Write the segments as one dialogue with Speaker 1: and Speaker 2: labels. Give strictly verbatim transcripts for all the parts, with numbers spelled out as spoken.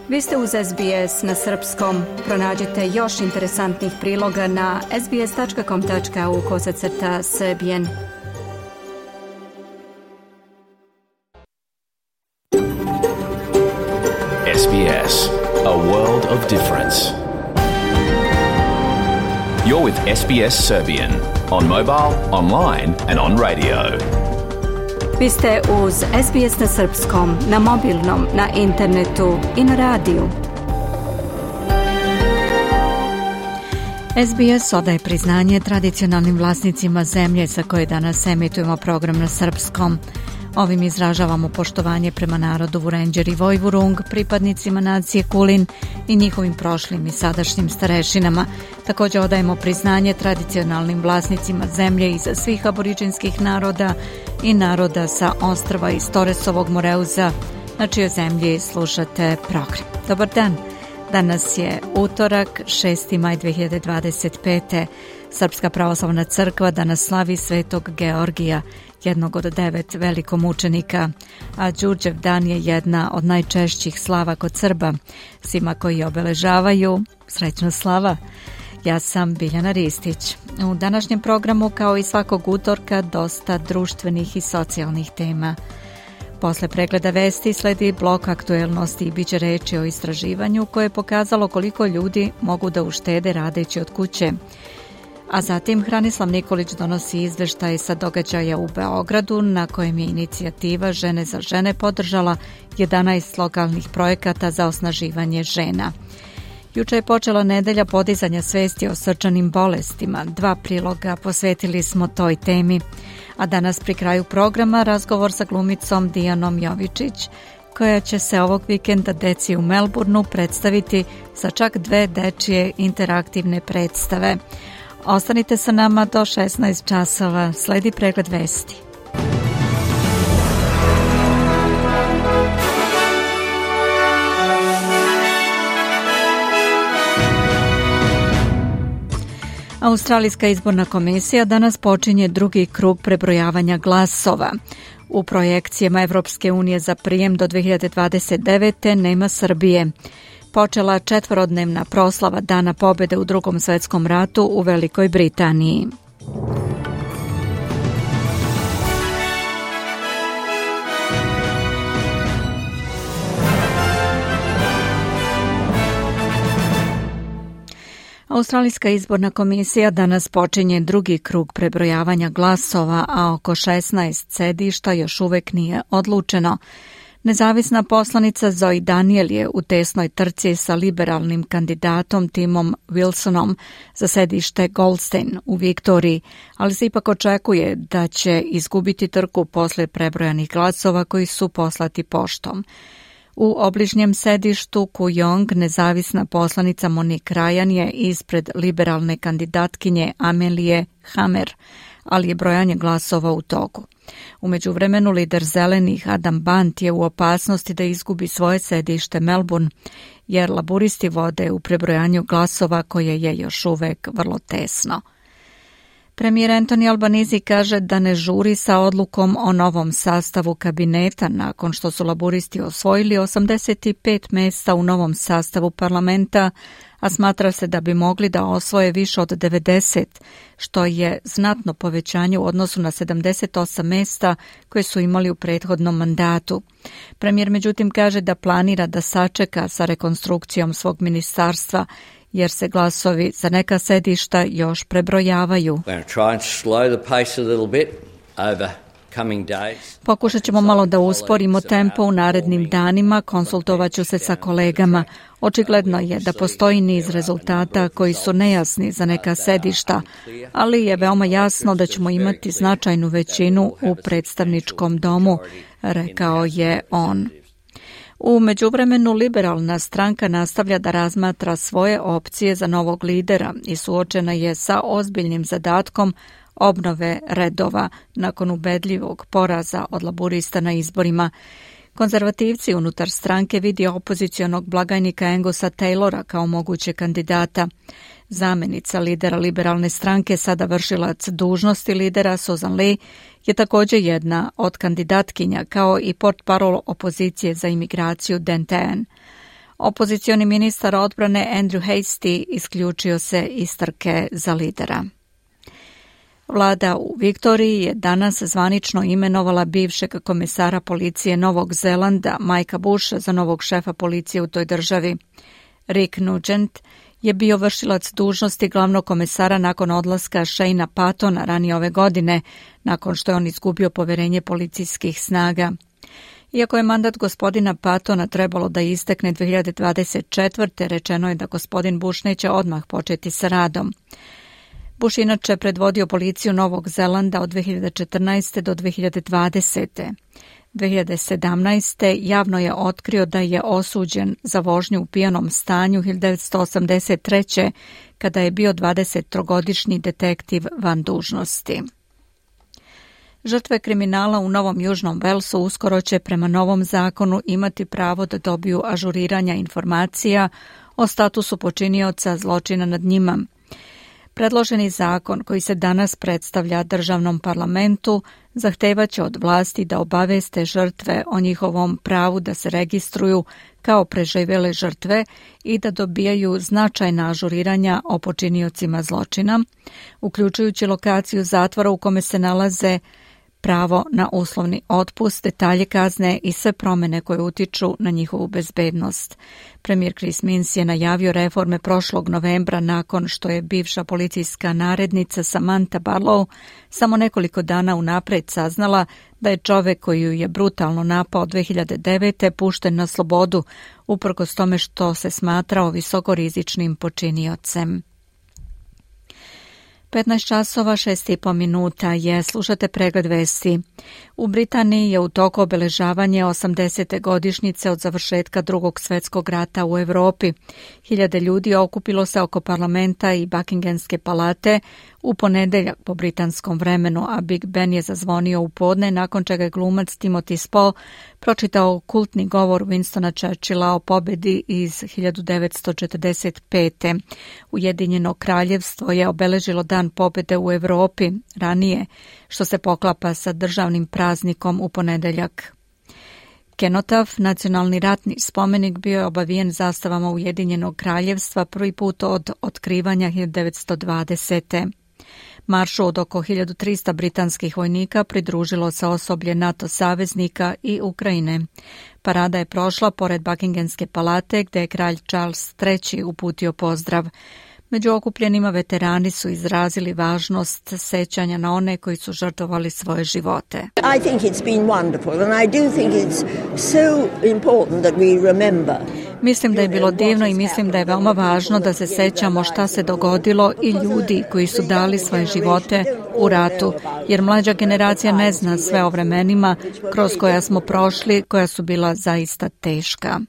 Speaker 1: Vi ste uz S B S na srpskom. Pronađite još interesantnih priloga na sbs.com.au kosacrta srbijen.
Speaker 2: S B S, a world of difference. You're with S B S Serbian on mobile, online and on radio.
Speaker 1: Vi ste uz S B S na srpskom, na mobilnom, na internetu i na radiju. S B S odaje priznanje tradicionalnim vlasnicima zemlje sa koje danas emitujemo program na srpskom. Ovim izražavamo poštovanje prema narodu Vurenđer i Vojvurung, pripadnicima nacije Kulin i njihovim prošlim i sadašnjim starešinama. Također odajemo priznanje tradicionalnim vlasnicima zemlje iz svih aboriđinskih naroda i naroda sa ostrva iz Toresovog Moreuza, na čijoj zemlji slušate program. Dobar dan! Danas je utorak, šesti maj dve hiljade dvadeset pete. Srpska pravoslavna crkva danas slavi Svetog Georgija, jednog od devet velikomučenika, a Đurđev dan je jedna od najčešćih slava kod Srba. Svima koji obeležavaju, srećna slava. Ja sam Biljana Ristić. U današnjem programu, kao i svakog utorka, dosta društvenih i socijalnih tema. Posle pregleda vesti sledi blok aktuelnosti i bit će reči o istraživanju koje je pokazalo koliko ljudi mogu da uštede radeći od kuće. A zatim Hranislav Nikolić donosi izveštaj sa događaja u Beogradu, na kojem je inicijativa Žene za žene podržala jedanaest lokalnih projekata za osnaživanje žena. Juče je počela nedelja podizanja svesti o srčanim bolestima. Dva priloga posvetili smo toj temi. A danas pri kraju programa razgovor sa glumicom Dijanom Jovičić, koja će se ovog vikenda deci u Melbourneu predstaviti sa čak dve dečije interaktivne predstave. Ostanite sa nama do šesnaest časova. Sledi pregled vesti. Australijska izborna komisija danas počinje drugi krug prebrojavanja glasova. U projekcijama Evropske unije za prijem do dve hiljade dvadeset devete nema Srbije. Počela četvorodnevna proslava Dana pobjede u Drugom svjetskom ratu u Velikoj Britaniji. Australijska izborna komisija danas počinje drugi krug prebrojavanja glasova, a oko šesnaest sedišta još uvek nije odlučeno. Nezavisna poslanica Zoe Daniel je u tesnoj trci sa liberalnim kandidatom Timom Wilsonom za sedište Goldstein u Viktoriji, ali se ipak očekuje da će izgubiti trku posle prebrojanih glasova koji su poslati poštom. U obližnjem sedištu Kooyong nezavisna poslanica Monique Ryan je ispred liberalne kandidatkinje Amelije Hamer, ali je brojanje glasova u toku. U međuvremenu lider zelenih Adam Bant je u opasnosti da izgubi svoje sedište Melbourne, jer laburisti vode u prebrojanju glasova koje je još uvek vrlo tesno. Premijer Anthony Albanese kaže da ne žuri sa odlukom o novom sastavu kabineta nakon što su laburisti osvojili osamdeset pet mesta u novom sastavu parlamenta, a smatra se da bi mogli da osvoje više od devedeset, što je znatno povećanje u odnosu na sedamdeset osam mesta koje su imali u prethodnom mandatu. Premijer međutim kaže da planira da sačeka sa rekonstrukcijom svog ministarstva, jer se glasovi za neka sedišta još prebrojavaju. Pokušat ćemo malo da usporimo tempo u narednim danima, konsultovaću se sa kolegama. Očigledno je da postoji niz rezultata koji su nejasni za neka sedišta, ali je veoma jasno da ćemo imati značajnu većinu u predstavničkom domu, rekao je on. U međuvremenu liberalna stranka nastavlja da razmatra svoje opcije za novog lidera i suočena je sa ozbiljnim zadatkom obnove redova nakon ubedljivog poraza od laburista na izborima. Konzervativci unutar stranke vidi opozicionog blagajnika Angusa Taylora kao moguće kandidata. Zamenica lidera liberalne stranke, sada vršilac dužnosti lidera Susan Lee, je također jedna od kandidatkinja, kao i portparol opozicije za imigraciju Dan Tehan. Opozicioni ministar odbrane Andrew Hastie isključio se iz trke za lidera. Vlada u Viktoriji je danas zvanično imenovala bivšeg komesara policije Novog Zelanda Mikea Busha za novog šefa policije u toj državi. Rick Nugent je bio vršilac dužnosti glavnog komesara nakon odlaska Shane'a Pattona ranije ove godine, nakon što je on izgubio poverenje policijskih snaga. Iako je mandat gospodina Pattona trebalo da istekne dve hiljade dvadeset četvrte. rečeno je da gospodin Bush neće odmah početi sa radom. Bush inače predvodio policiju Novog Zelanda od dve hiljade četrnaeste. do dve hiljade dvadesete. dve hiljade sedamnaeste. javno je otkrio da je osuđen za vožnju u pijanom stanju hiljadu devetsto osamdeset treće. kada je bio dvadesettrogodišnji detektiv van dužnosti. Žrtve kriminala u Novom Južnom Velsu uskoro će prema novom zakonu imati pravo da dobiju ažuriranja informacija o statusu počinioca zločina nad njima. Predloženi zakon koji se danas predstavlja državnom parlamentu zahtevaće od vlasti da obaveste žrtve o njihovom pravu da se registruju kao preživjele žrtve i da dobijaju značajna ažuriranja o počiniocima zločina, uključujući lokaciju zatvora u kome se nalaze, pravo na uslovni otpust, detalje kazne i sve promjene koje utiču na njihovu bezbednost. Premijer Chris Minns je najavio reforme prošlog novembra nakon što je bivša policijska narednica Samantha Barlow samo nekoliko dana unapred saznala da je čovek koji ju je brutalno napao dve hiljade devete. pušten na slobodu, uprkos tome što se smatrao visokorizičnim počiniocem. petnaest časova šest i po minuta je, slušate pregled vesti. U Britaniji je u toku obeležavanje osamdesete godišnjice od završetka Drugog svjetskog rata u Europi. Hiljade ljudi okupilo se oko parlamenta i Buckinghamske palate u ponedeljak po britanskom vremenu, a Big Ben je zazvonio u podne, nakon čega je glumac Timothy Spall pročitao kultni govor Winstona Churchilla o pobedi iz hiljadu devetsto četrdeset pete. Ujedinjeno kraljevstvo je obeležilo dan pobede u Europi ranije, što se poklapa sa državnim praznikom u ponedeljak. Kenotaf, nacionalni ratni spomenik, bio je obavijen zastavama Ujedinjenog kraljevstva prvi put od otkrivanja hiljadu devetsto dvadesete. Maršu od oko hiljadu trista britanskih vojnika pridružilo se osoblje NATO saveznika i Ukrajine. Parada je prošla pored Buckinghamske palate gdje je kralj Charles treći uputio pozdrav. Među okupljenima veterani su izrazili važnost sećanja na one koji su žrtvovali svoje živote.
Speaker 3: I think it's been wonderful and I do think it's so important that we remember.
Speaker 1: Mislim da je bilo divno i mislim da je veoma važno da se sećamo šta se dogodilo i ljudi koji su dali svoje živote u ratu, jer mlađa generacija ne zna sve o vremenima kroz koja smo prošli, koja su bila zaista teška.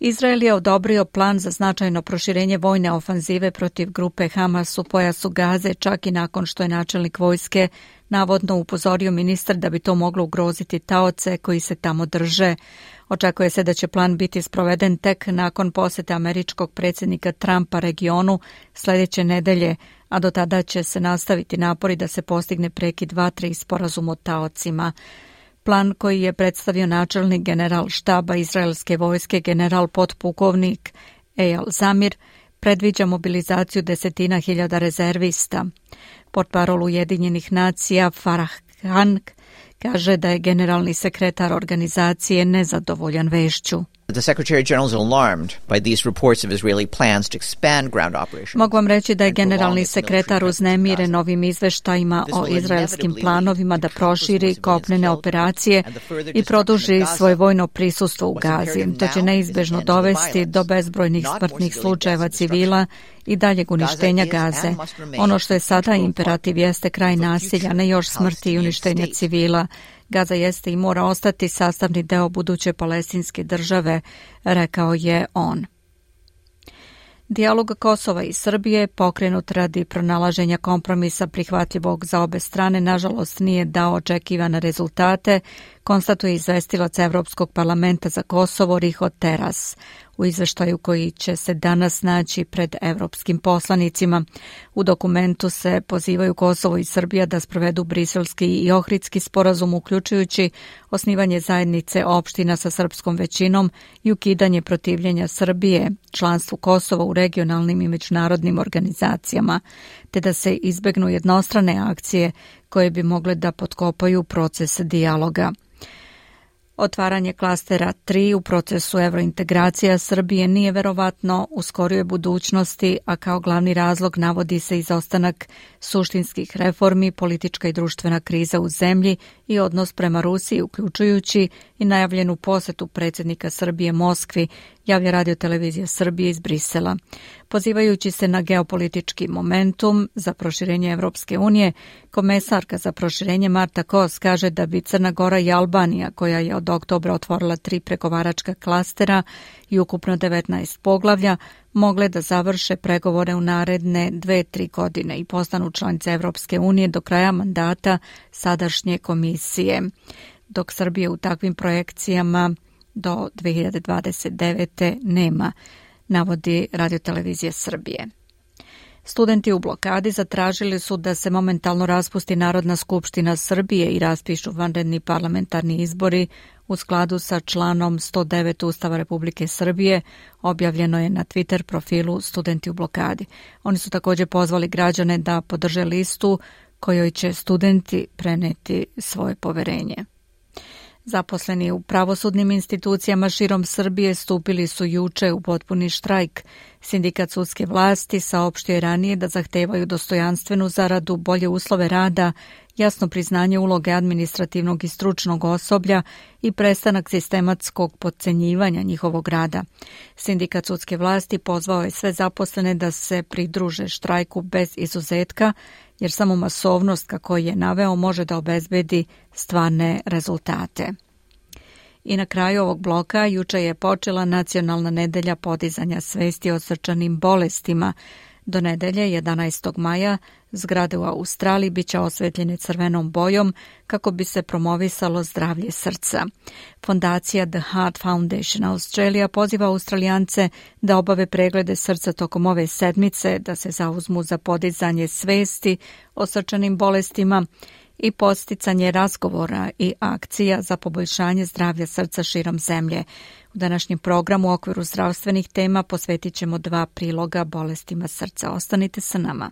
Speaker 1: Izrael je odobrio plan za značajno proširenje vojne ofanzive protiv grupe Hamas u pojasu Gaze, čak i nakon što je načelnik vojske navodno upozorio ministar da bi to moglo ugroziti taoce koji se tamo drže. Očekuje se da će plan biti sproveden tek nakon posete američkog predsjednika Trumpa regionu sljedeće nedelje, a do tada će se nastaviti napori da se postigne prekid vatre i sporazum o taocima. Plan koji je predstavio načelnik general štaba izraelske vojske general potpukovnik Eyal Zamir predviđa mobilizaciju desetina hiljada rezervista. Portparol Ujedinjenih nacija Farah Khan kaže da je generalni sekretar organizacije nezadovoljan vešću.
Speaker 4: The Secretary General is alarmed by these reports of Israeli plans to expand ground operations.
Speaker 1: Mogu vam reći da je generalni sekretar uznemiren ovim izveštajima o izraelskim planovima da proširi kopnene operacije i produži svoje vojno prisustvo u Gazi. To će neizbežno dovesti do bezbrojnih smrtnih slučajeva civila i daljeg uništenja Gaze. Ono što je sada imperativ jeste kraj nasilja, ne još smrti i uništenja civila. Gaza jeste i mora ostati sastavni deo buduće palestinske države, rekao je on. Dijalog Kosova i Srbije, pokrenut radi pronalaženja kompromisa prihvatljivog za obe strane, nažalost nije dao očekivane rezultate, konstatuje izvestilac Evropskog parlamenta za Kosovo Riho Teras u izveštaju koji će se danas naći pred evropskim poslanicima. U dokumentu se pozivaju Kosovo i Srbija da sprovedu briselski i ohridski sporazum, uključujući osnivanje zajednice opština sa srpskom većinom i ukidanje protivljenja Srbije članstvu Kosova u regionalnim i međunarodnim organizacijama, te da se izbegnu jednostrane akcije koje bi mogle da potkopaju proces dijaloga. Otvaranje klastera tri u procesu evrointegracija Srbije nije verovatno u skorijoj budućnosti, a kao glavni razlog navodi se izostanak suštinskih reformi, politička i društvena kriza u zemlji i odnos prema Rusiji, uključujući i najavljenu posetu predsjednika Srbije Moskvi, javlja Radio-televizija Srbije iz Brisela. Pozivajući se na geopolitički momentum za proširenje Evropske unije, komesarka za proširenje Marta Kos kaže da bi Crna Gora i Albanija, koja je od oktobra otvorila tri pregovaračka klastera i ukupno devetnaest poglavlja, mogle da završe pregovore u naredne dve, tri godine i postanu članice Evropske unije do kraja mandata sadašnje komisije, dok Srbije u takvim projekcijama do dve hiljade dvadeset devete nema, navodi Radio-televizija Srbije. Studenti u blokadi zatražili su da se momentalno raspusti Narodna skupština Srbije i raspišu vanredni parlamentarni izbori u skladu sa članom sto devet Ustava Republike Srbije, objavljeno je na Twitter profilu Studenti u blokadi. Oni su također pozvali građane da podrže listu kojoj će studenti preneti svoje poverenje. Zaposleni u pravosudnim institucijama širom Srbije stupili su juče u potpuni štrajk. Sindikat sudske vlasti saopštio je ranije da zahtevaju dostojanstvenu zaradu, bolje uslove rada, jasno priznanje uloge administrativnog i stručnog osoblja i prestanak sistematskog potcenjivanja njihovog rada. Sindikat sudske vlasti pozvao je sve zaposlene da se pridruže štrajku bez izuzetka, jer samo masovnost, kako je naveo, može da obezbedi stvarne rezultate. I na kraju ovog bloka juče je počela Nacionalna nedelja podizanja svesti o srčanim bolestima. Do nedelje, jedanaestog maja, zgrade u Australiji biće osvetljene crvenom bojom kako bi se promovisalo zdravlje srca. Fondacija The Heart Foundation Australia poziva Australijance da obave preglede srca tokom ove sedmice, da se zauzmu za podizanje svesti o srčanim bolestima i podsticanje razgovora i akcija za poboljšanje zdravlja srca širom zemlje. U današnjem programu u okviru zdravstvenih tema posvetit ćemo dva priloga bolestima srca. Ostanite sa nama.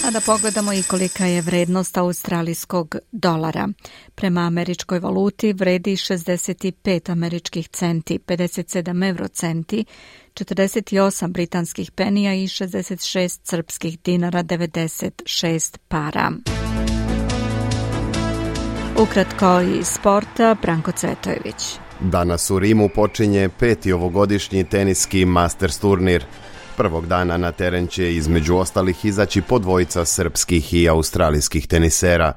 Speaker 1: A da pogledamo i kolika je vrednost australijskog dolara. Prema američkoj valuti vredi šezdeset pet američkih centi, pedeset sedam eurocenti, četrdeset osam britanskih penija i šezdeset šest srpskih dinara, devedeset šest para. Ukratko iz sporta, Branko Cvetojević.
Speaker 5: Danas u Rimu počinje peti ovogodišnji teniski Masters turnir. Prvog dana na teren će između ostalih izaći po dvojica srpskih i australijskih tenisera.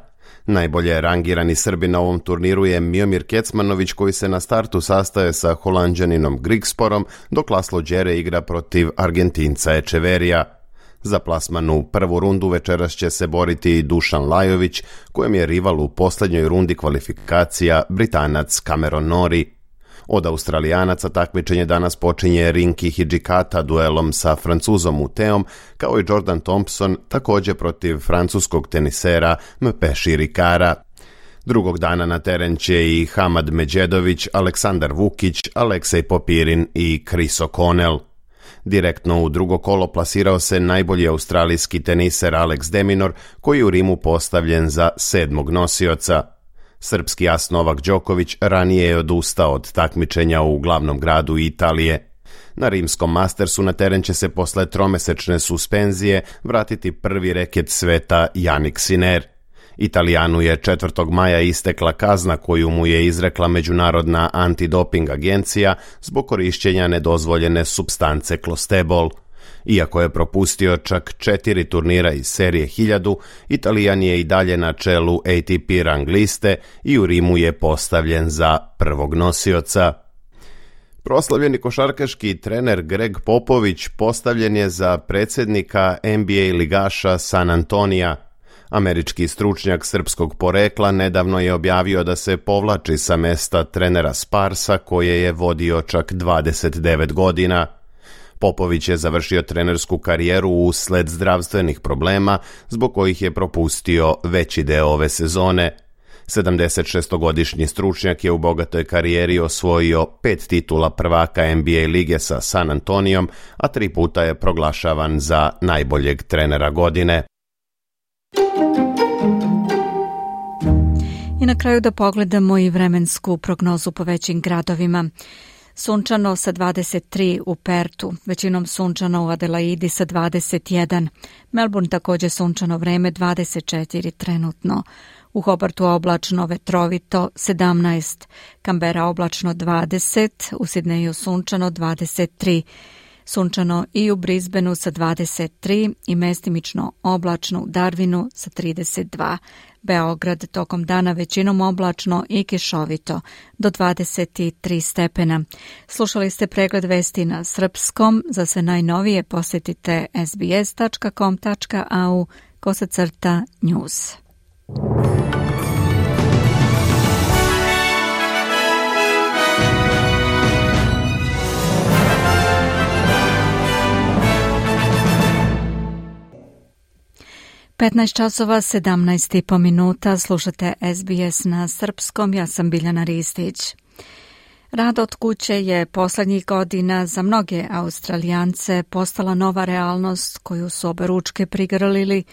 Speaker 5: Najbolje rangirani Srbi na ovom turniru je Miomir Kecmanović, koji se na startu sastaje sa Holanđaninom Grigsporom, dok Laslo Đere igra protiv Argentinca Echeverija. Za plasman u prvu rundu večeras će se boriti Dušan Lajović, kojem je rival u posljednjoj rundi kvalifikacija Britanac Cameron Norrie. Od Australijanaca takmičenje danas počinje Rinki Hidžikata duelom sa Francuzom Uteom, kao i Jordan Thompson također protiv francuskog tenisera Mpeši Rikara. Drugog dana na teren će i Hamad Međedović, Aleksandar Vukić, Aleksej Popirin i Chris O'Connell. Direktno u drugo kolo plasirao se najbolji australijski teniser Alex de Minaur, koji je u Rimu postavljen za sedmog nosioca. Srpski as Novak Đoković ranije je odustao od takmičenja u glavnom gradu Italije. Na rimskom Mastersu na teren će se posle tromesečne suspenzije vratiti prvi reket sveta Jannik Sinner. Italijanu je četvrtog maja istekla kazna koju mu je izrekla Međunarodna antidoping agencija zbog korišćenja nedozvoljene supstance klostebol. Iako je propustio čak četiri turnira iz serije hiljadu, Italijan je i dalje na čelu A T P rang liste i u Rimu je postavljen za prvog nosioca. Proslavljeni košarkaški trener Greg Popović postavljen je za predsjednika N B A ligaša San Antonija. Američki stručnjak srpskog porekla nedavno je objavio da se povlači sa mesta trenera Sparsa koje je vodio čak dvadeset devet godina. Popović je završio trenersku karijeru usled zdravstvenih problema zbog kojih je propustio veći deo ove sezone. sedamdesetšestogodišnji stručnjak je u bogatoj karijeri osvojio pet titula prvaka N B A lige sa San Antonijom, a tri puta je proglašavan za najboljeg trenera godine.
Speaker 1: I na kraju da pogledamo i vremensku prognozu po većim gradovima. Sunčano sa dvadeset tri u Pertu, većinom sunčano u Adelaidi sa dvadeset jedan. Melbourne također sunčano vreme dvadeset četiri trenutno. U Hobartu oblačno vetrovito sedamnaest. Canberra oblačno dvadeset. U Sidneju sunčano dvadeset tri. Sunčano i u Brisbaneu sa dvadeset tri i mestimično oblačno u Darwinu sa trideset dva. Beograd tokom dana većinom oblačno i kišovito do dvadeset tri stepena. Slušali ste pregled vesti na srpskom. Za sve najnovije posjetite s b s dot com dot a u kosacrta news. petnaest časova sedamnaest i po minuta, slušate S B S na srpskom, ja sam Biljana Ristić. Rad od kuće je posljednjih godina za mnoge Australijance postala nova realnost koju su oberučke prigrlili,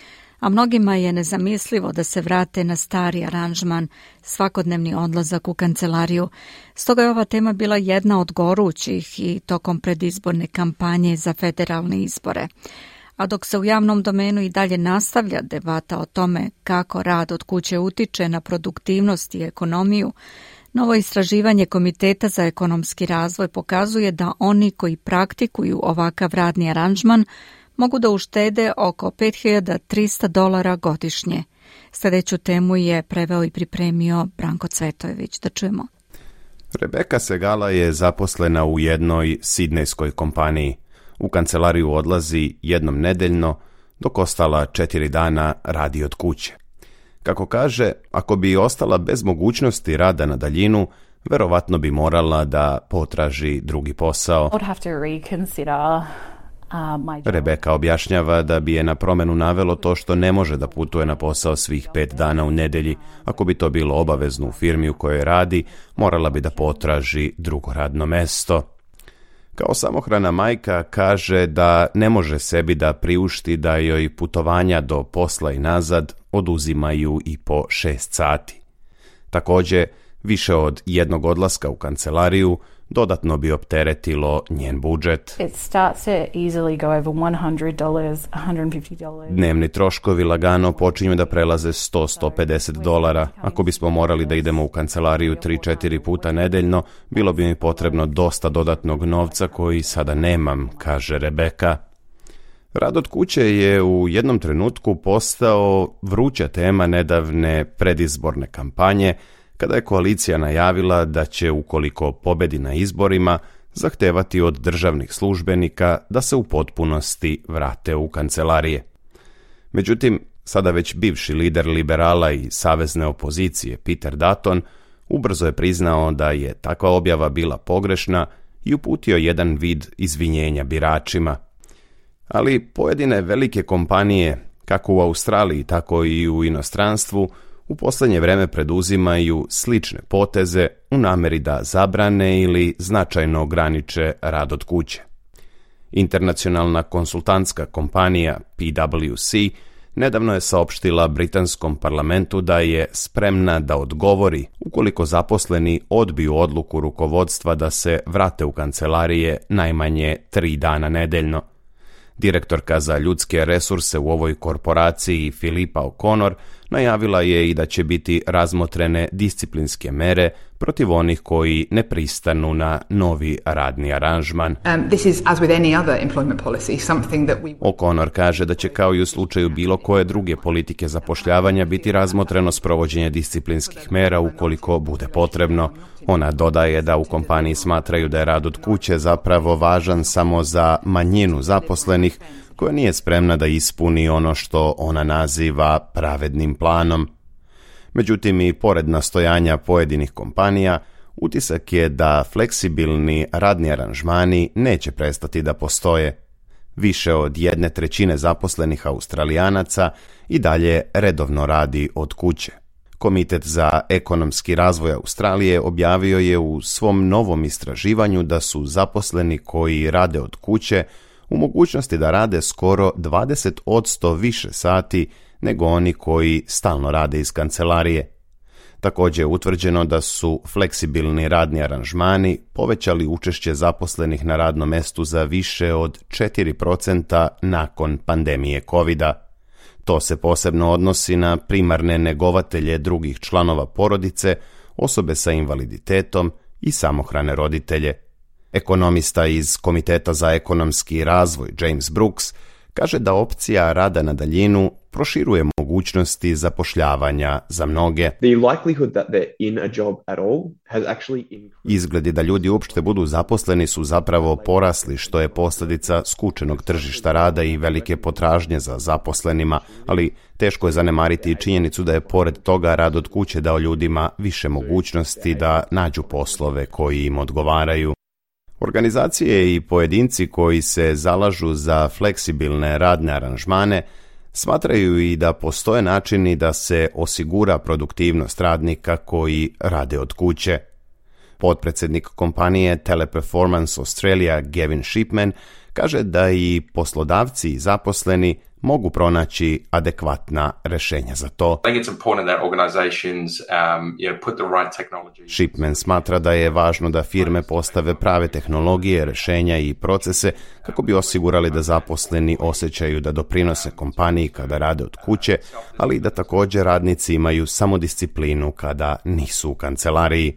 Speaker 1: a mnogima je nezamislivo da se vrate na stari aranžman, svakodnevni odlazak u kancelariju. Stoga je ova tema bila jedna od gorućih i tokom predizborne kampanje za federalne izbore. A dok se u javnom domenu i dalje nastavlja debata o tome kako rad od kuće utiče na produktivnost i ekonomiju, novo istraživanje Komiteta za ekonomski razvoj pokazuje da oni koji praktikuju ovakav radni aranžman mogu da uštede oko pet hiljada trista dolara godišnje. Sljedeću temu je preveo i pripremio Branko Cvetojević. Da čujemo.
Speaker 5: Rebeka Segala je zaposlena u jednoj sidnejskoj kompaniji. U kancelariju odlazi jednom nedeljno, dok ostala četiri dana radi od kuće. Kako kaže, ako bi ostala bez mogućnosti rada na daljinu, verovatno bi morala da potraži drugi posao. Rebeka objašnjava da bi je na promenu navelo to što ne može da putuje na posao svih pet dana u nedelji. Ako bi to bilo obavezno u firmi u kojoj radi, morala bi da potraži drugo radno mesto. Kao samohrana majka kaže da ne može sebi da priušti da joj putovanja do posla i nazad oduzimaju i po šest sati. Također, više od jednog odlaska u kancelariju dodatno bi opteretilo njen budžet. Dnevni troškovi lagano počinju da prelaze sto do sto pedeset dolara. Ako bismo morali da idemo u kancelariju tri do četiri puta nedeljno, bilo bi mi potrebno dosta dodatnog novca koji sada nemam, kaže Rebeka. Rad od kuće je u jednom trenutku postao vruća tema nedavne predizborne kampanje, kada je koalicija najavila da će, ukoliko pobedi na izborima, zahtevati od državnih službenika da se u potpunosti vrate u kancelarije. Međutim, sada već bivši lider liberala i savezne opozicije Peter Dutton ubrzo je priznao da je takva objava bila pogrešna i uputio jedan vid izvinjenja biračima. Ali pojedine velike kompanije, kako u Australiji, tako i u inostranstvu, u posljednje vreme preduzimaju slične poteze u nameri da zabrane ili značajno ograniče rad od kuće. Internacionalna konsultantska kompanija P W C nedavno je saopštila britanskom parlamentu da je spremna da odgovori ukoliko zaposleni odbiju odluku rukovodstva da se vrate u kancelarije najmanje tri dana nedeljno. Direktorka za ljudske resurse u ovoj korporaciji Filipa O'Connor najavila je i da će biti razmotrene disciplinske mere protiv onih koji ne pristanu na novi radni aranžman. Um, this is, as with any other employment policy, something that we... O'Connor kaže da će kao i u slučaju bilo koje druge politike zapošljavanja biti razmotreno sprovođenje disciplinskih mera ukoliko bude potrebno. Ona dodaje da u kompaniji smatraju da je rad od kuće zapravo važan samo za manjinu zaposlenih koja nije spremna da ispuni ono što ona naziva pravednim planom. Međutim, i pored nastojanja pojedinih kompanija, utisak je da fleksibilni radni aranžmani neće prestati da postoje. Više od jedne trećine zaposlenih Australijanaca i dalje redovno radi od kuće. Komitet za ekonomski razvoj Australije objavio je u svom novom istraživanju da su zaposleni koji rade od kuće u mogućnosti da rade skoro dvadeset posto više sati nego oni koji stalno rade iz kancelarije. Također je utvrđeno da su fleksibilni radni aranžmani povećali učešće zaposlenih na radnom mestu za više od četiri procenta nakon pandemije kovida. To se posebno odnosi na primarne negovatelje drugih članova porodice, osobe sa invaliditetom i samohrane roditelje. Ekonomista iz Komiteta za ekonomski razvoj James Brooks kaže da opcija rada na daljinu proširuje mogućnosti zapošljavanja za mnoge. Izgledi da ljudi uopšte budu zaposleni su zapravo porasli, što je posljedica skučenog tržišta rada i velike potražnje za zaposlenima, ali teško je zanemariti i činjenicu da je pored toga rad od kuće dao ljudima više mogućnosti da nađu poslove koji im odgovaraju. Organizacije i pojedinci koji se zalažu za fleksibilne radne aranžmane smatraju i da postoje načini da se osigura produktivnost radnika koji rade od kuće. Potpredsjednik kompanije Teleperformance Australia Gavin Shipman kaže da i poslodavci i zaposleni mogu pronaći adekvatna rješenja za to. Shipman smatra da je važno da firme postave prave tehnologije, rješenja i procese kako bi osigurali da zaposleni osjećaju da doprinose kompaniji kada rade od kuće, ali i da također radnici imaju samodisciplinu kada nisu u kancelariji.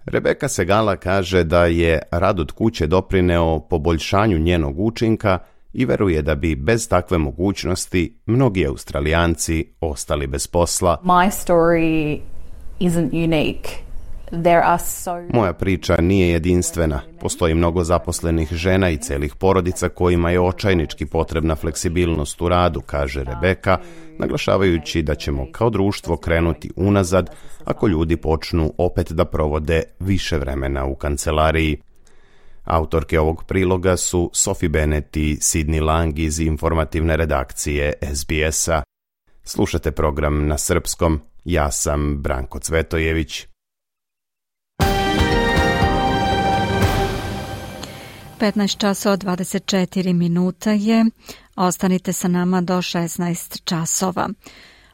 Speaker 5: Rebeka Segala kaže da je rad od kuće doprineo poboljšanju njenog učinka i veruje da bi bez takve mogućnosti mnogi Australijanci ostali bez posla.
Speaker 6: My story isn't unique. There are so...
Speaker 5: Moja priča nije jedinstvena. Postoji mnogo zaposlenih žena i celih porodica kojima je očajnički potrebna fleksibilnost u radu, kaže Rebeka, naglašavajući da ćemo kao društvo krenuti unazad ako ljudi počnu opet da provode više vremena u kancelariji. Autorke ovog priloga su Sophie Bennett i Sidney Lang iz informativne redakcije S B S-a. Slušate program na srpskom. Ja sam Branko Cvetojević.
Speaker 1: petnaest časova dvadeset četiri minuta je. Ostanite sa nama do šesnaest časova.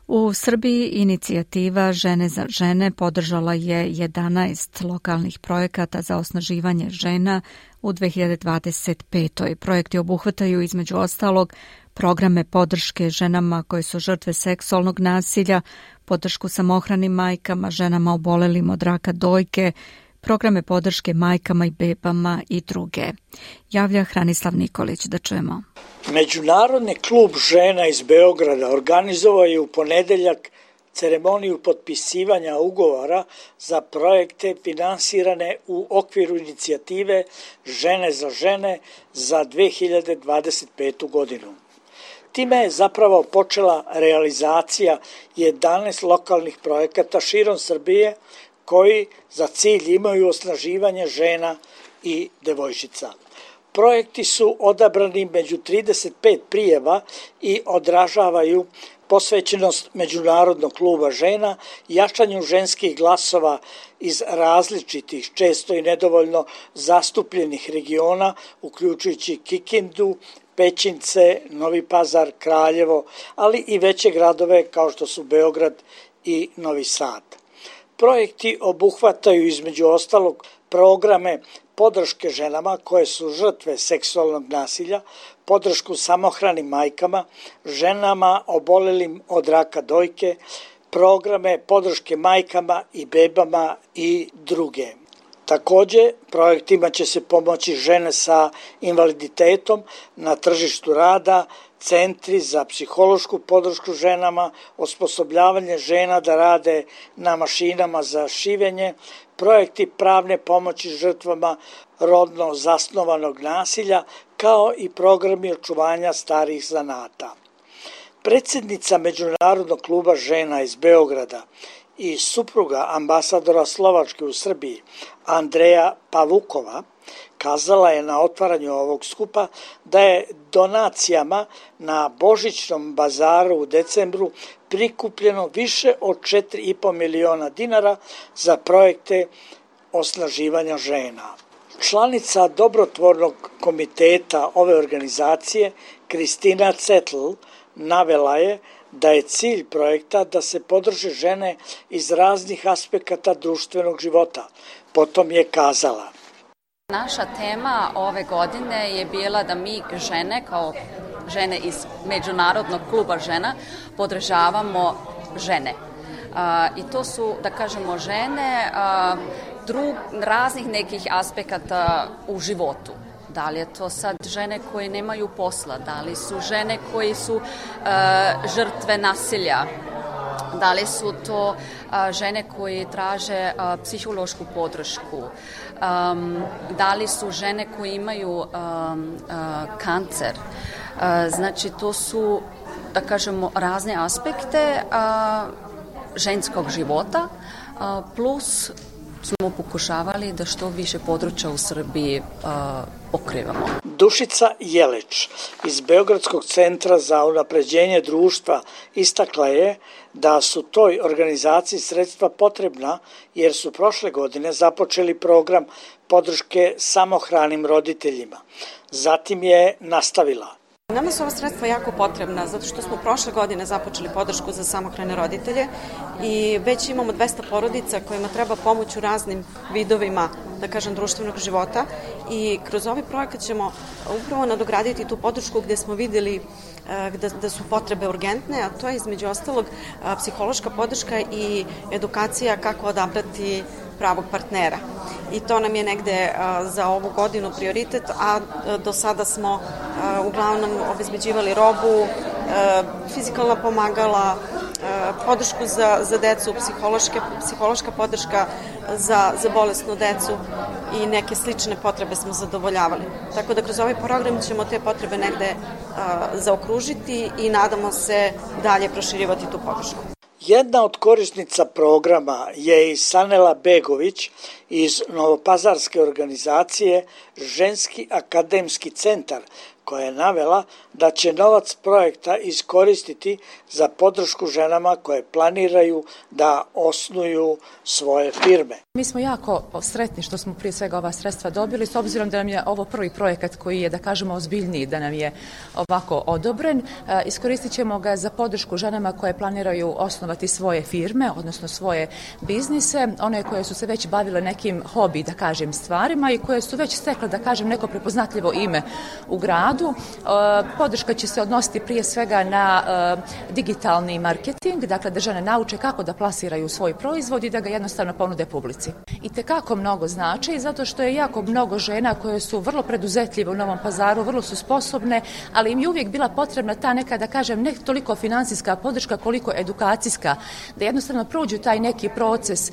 Speaker 1: U Srbiji inicijativa Žene za žene podržala je jedanaest lokalnih projekata za osnaživanje žena u dve hiljade dvadeset petoj. Projekti obuhvataju između ostalog programe podrške ženama koje su žrtve seksualnog nasilja, podršku samohranim majkama, ženama obolelim od raka dojke, programe podrške majkama i bebama i druge. Javlja Hranislav Nikolić, da čujemo.
Speaker 7: Međunarodni klub žena iz Beograda organizovao je u ponedeljak ceremoniju potpisivanja ugovora za projekte finansirane u okviru inicijative Žene za žene za dve hiljade dvadeset petu godinu. Time je zapravo počela realizacija jedanaest lokalnih projekata širom Srbije koji za cilj imaju osnaživanje žena i devojčica. Projekti su odabrani među trideset pet prijava i odražavaju posvećenost Međunarodnog kluba žena, jačanju ženskih glasova iz različitih, često i nedovoljno zastupljenih regiona, uključujući Kikindu, Pećince, Novi Pazar, Kraljevo, ali i veće gradove kao što su Beograd i Novi Sad. Projekti obuhvataju između ostalog programe podrške ženama koje su žrtve seksualnog nasilja, podršku samohranim majkama, ženama obolelim od raka dojke, programe podrške majkama i bebama i druge. Također, projektima će se pomoći žene sa invaliditetom na tržištu rada, centri za psihološku podršku ženama, osposobljavanje žena da rade na mašinama za šivenje, projekti pravne pomoći žrtvama rodno zasnovanog nasilja, kao i programi očuvanja starih zanata. Predsjednica Međunarodnog kluba žena iz Beograda i supruga ambasadora Slovačke u Srbiji, Andreja Pavukova, kazala je na otvaranju ovog skupa da je donacijama na Božićnom bazaru u decembru prikupljeno više od četiri i po miliona dinara za projekte osnaživanja žena. Članica dobrotvornog komiteta ove organizacije, Kristina Cetl, navela je da je cilj projekta da se podrže žene iz raznih aspekata društvenog života. Potom je kazala:
Speaker 8: Naša tema ove godine je bila da mi žene, kao žene iz Međunarodnog kluba žena, podržavamo žene. A, I to su, da kažemo, žene a, drug, raznih nekih aspekata u životu. Da li je to sad žene koje nemaju posla, da li su žene koji su uh, žrtve nasilja, da li su to uh, žene koji traže uh, psihološku podršku, um, da li su žene koje imaju um, uh, kancer. Uh, znači to su, da kažemo, razne aspekte uh, ženskog života, uh, plus smo pokušavali da što više područja u Srbiji uh, pokrivamo.
Speaker 7: Dušica Jeleć iz Beogradskog centra za unapređenje društva istakla je da su toj organizaciji sredstva potrebna jer su prošle godine započeli program podrške samohranim roditeljima. Zatim je nastavila:
Speaker 9: Nama su ova sredstva jako potrebna zato što smo prošle godine započeli podršku za samohrane roditelje i već imamo dvesta porodica kojima treba pomoć u raznim vidovima, da kažem, društvenog života i kroz ovaj projekat ćemo upravo nadograditi tu podršku gde smo videli da, da su potrebe urgentne, a to je između ostalog psihološka podrška i edukacija kako odabrati pravog partnera. I to nam je negde a, za ovu godinu prioritet, a, a do sada smo a, uglavnom obezbeđivali robu, a, fizikalna pomagala, a, podršku za, za decu, psihološke, psihološka podrška za, za bolesnu decu i neke slične potrebe smo zadovoljavali. Tako da kroz ovaj program ćemo te potrebe negde a, zaokružiti i nadamo se dalje proširivati tu podršku.
Speaker 7: Jedna od korisnica programa je i Sanela Begović iz novopazarske organizacije Ženski akademski centar, koja je navela da će novac projekta iskoristiti za podršku ženama koje planiraju da osnuju svoje firme.
Speaker 10: Mi smo jako sretni što smo prije svega ova sredstva dobili, s obzirom da nam je ovo prvi projekat koji je, da kažemo, ozbiljniji, da nam je ovako odobren. Iskoristit ćemo ga za podršku ženama koje planiraju osnovati svoje firme, odnosno svoje biznise, one koje su se već bavile nekim hobi, da kažem, stvarima i koje su već stekle, da kažem, neko prepoznatljivo ime u gradu. Podrška će se odnositi prije svega na digitalni marketing, dakle da žene nauče kako da plasiraju svoj proizvod i da ga jednostavno ponude publici. I tekako mnogo znači, zato što je jako mnogo žena koje su vrlo preduzetljive u Novom Pazaru, vrlo su sposobne, ali im je uvijek bila potrebna ta neka, da kažem, ne toliko finansijska podrška koliko edukacijska, da jednostavno prođu taj neki proces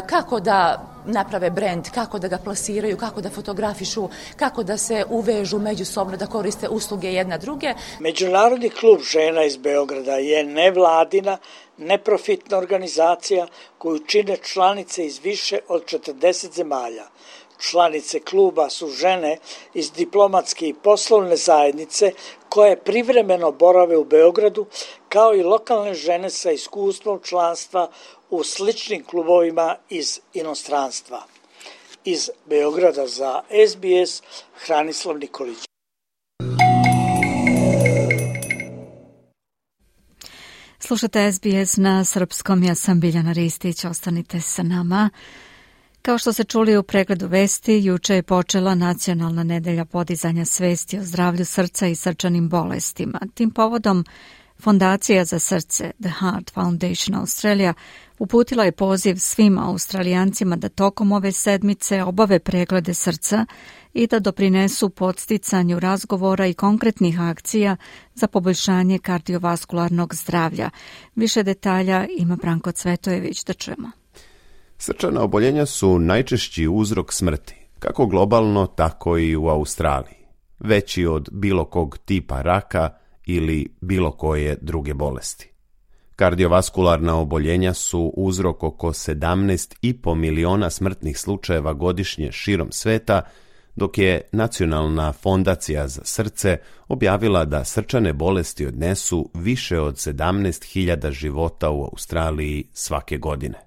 Speaker 10: kako da naprave brend, kako da ga plasiraju, kako da fotografišu, kako da se uvežu međusobno, da koriste usluge jedna druge.
Speaker 7: Međunarodni klub žena iz Beograda je nevladina, neprofitna organizacija koju čine članice iz više od četrdeset zemalja. Članice kluba su žene iz diplomatske i poslovne zajednice koje privremeno borave u Beogradu, kao i lokalne žene sa iskustvom članstva u sličnim klubovima iz inostranstva. Iz Beograda za S B S, Hranislav Nikolić.
Speaker 1: Slušate S B S na srpskom, ja sam Biljana Ristić, ostanite sa nama. Kao što ste čuli u pregledu vesti, juče je počela Nacionalna nedelja podizanja svesti o zdravlju srca i srčanim bolestima. Tim povodom Fondacija za srce, The Heart Foundation Australia, uputila je poziv svim Australijancima da tokom ove sedmice obave preglede srca i da doprinesu podsticanju razgovora i konkretnih akcija za poboljšanje kardiovaskularnog zdravlja. Više detalja ima Branko Cvetojević, da čujemo.
Speaker 5: Srčana oboljenja su najčešći uzrok smrti, kako globalno, tako i u Australiji. veći od bilo kog tipa raka ili bilo koje druge bolesti. Kardiovaskularna oboljenja su uzrok oko sedamnaest i po miliona smrtnih slučajeva godišnje širom sveta, dok je Nacionalna fondacija za srce objavila da srčane bolesti odnesu više od sedamnaest hiljada života u Australiji svake godine.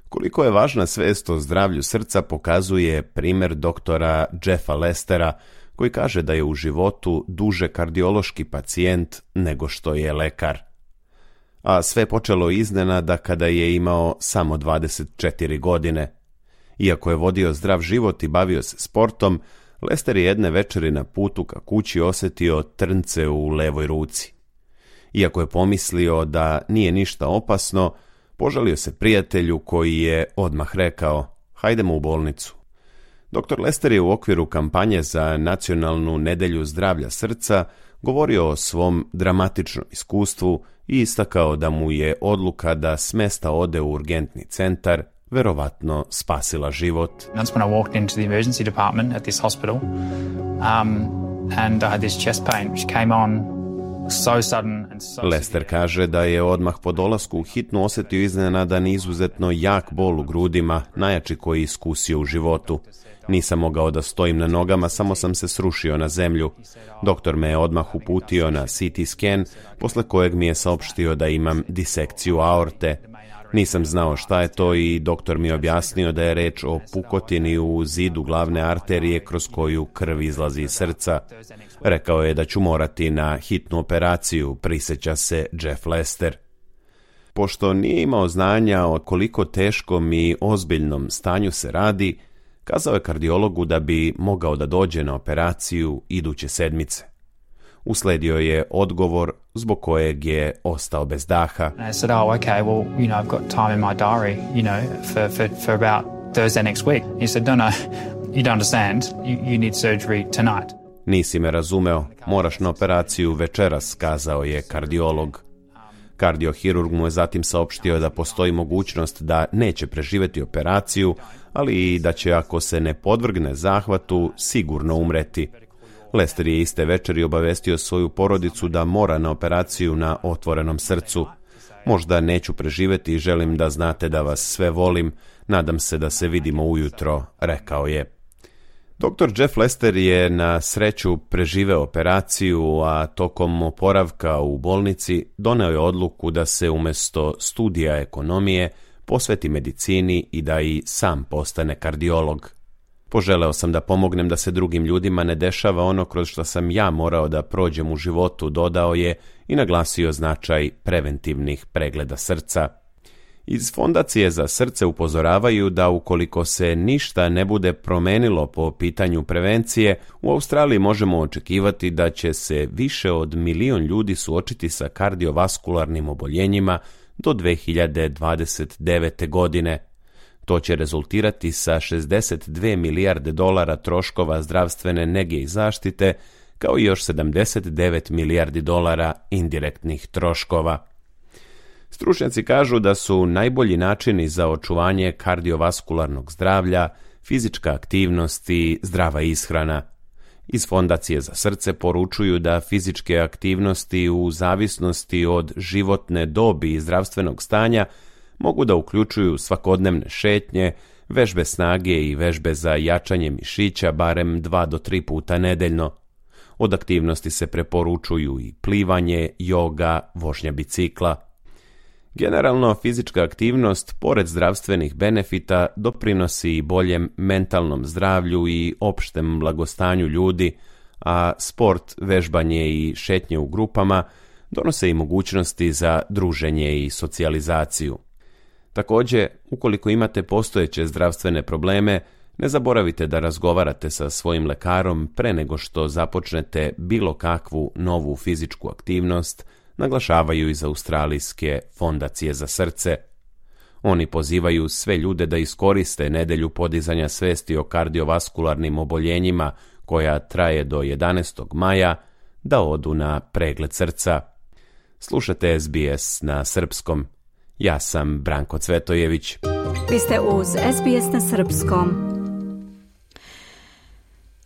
Speaker 5: Koliko je važna svest o zdravlju srca pokazuje primjer doktora Jeffa Lestera, koji kaže da je u životu duže kardiološki pacijent nego što je lekar. A sve počelo iznenada kada je imao samo dvadeset četiri godine. Iako je vodio zdrav život i bavio se sportom, Lester je jedne večeri na putu ka kući osjetio trnce u levoj ruci. Iako je pomislio da nije ništa opasno, požalio se prijatelju koji je odmah rekao: hajdemo u bolnicu. doktor Lester je u okviru kampanje za Nacionalnu nedelju zdravlja srca govorio o svom dramatičnom iskustvu i istakao da mu je odluka da s mesta ode u urgentni centar verovatno spasila život.
Speaker 11: That's when I walked into the emergency department at this hospital, um, and I had this chest pain which came on so sudden and so
Speaker 5: Lester kaže da je odmah po dolasku u hitnu osjetio iznenadan i izuzetno jak bol u grudima, najjači koji je iskusio u životu. Nisam mogao da stojim na nogama, samo sam se srušio na zemlju. Doktor me je odmah uputio na C T scan, posle kojeg mi je saopštio da imam disekciju aorte. Nisam znao šta je to i doktor mi je objasnio da je reč o pukotini u zidu glavne arterije kroz koju krv izlazi iz srca. Rekao je da ću morati na hitnu operaciju, prisjeća se Jeff Lester. Pošto nije imao znanja o koliko teškom i ozbiljnom stanju se radi, kazao je kardiologu da bi mogao da dođe na operaciju iduće sedmice. Usledio je odgovor zbog kojeg je ostao bez daha.
Speaker 11: I said, oh, okay, well, you know, I've got time in my diary, you know, for, for, for about Thursday next week. He said, no, no, you don't understand. You, you need surgery tonight.
Speaker 5: Nisi me razumeo, moraš na operaciju večeras, kazao je kardiolog. Kardiohirurg mu je zatim saopštio da postoji mogućnost da neće preživjeti operaciju, ali i da će, ako se ne podvrgne zahvatu, sigurno umreti. Lester je iste večeri obavestio svoju porodicu da mora na operaciju na otvorenom srcu. Možda neću preživjeti i želim da znate da vas sve volim, nadam se da se vidimo ujutro, rekao je. doktor Jeff Lester je na sreću preživeo operaciju, a tokom oporavka u bolnici doneo je odluku da se umjesto studija ekonomije posveti medicini i da i sam postane kardiolog. Poželeo sam da pomognem da se drugim ljudima ne dešava ono kroz što sam ja morao da prođem u životu, dodao je i naglasio značaj preventivnih pregleda srca. Iz Fondacije za srce upozoravaju da ukoliko se ništa ne bude promenilo po pitanju prevencije, u Australiji možemo očekivati da će se više od milion ljudi suočiti sa kardiovaskularnim oboljenjima do dve hiljade dvadeset devete. godine. To će rezultirati sa šezdeset dve milijarde dolara troškova zdravstvene nege i zaštite, kao i još sedamdeset devet milijardi dolara indirektnih troškova. Stručnjaci kažu da su najbolji načini za očuvanje kardiovaskularnog zdravlja fizička aktivnost i zdrava ishrana. Iz Fondacije za srce poručuju da fizičke aktivnosti u zavisnosti od životne dobi i zdravstvenog stanja mogu da uključuju svakodnevne šetnje, vežbe snage i vežbe za jačanje mišića barem dva do tri puta nedeljno. Od aktivnosti se preporučuju i plivanje, joga, vožnja bicikla. Generalno, fizička aktivnost, pored zdravstvenih benefita, doprinosi i boljem mentalnom zdravlju i opštem blagostanju ljudi, a sport, vežbanje i šetnje u grupama donose i mogućnosti za druženje i socijalizaciju. Također, ukoliko imate postojeće zdravstvene probleme, ne zaboravite da razgovarate sa svojim lekarom pre nego što započnete bilo kakvu novu fizičku aktivnost, naglašavaju iz Australijske Fondacije za srce. Oni pozivaju sve ljude da iskoriste nedelju podizanja svesti o kardiovaskularnim oboljenjima, koja traje do jedanaestog maja, da odu na pregled srca. Slušate S B S na srpskom. Ja sam Branko Cvetojević.
Speaker 1: Vi ste uz S B S na srpskom.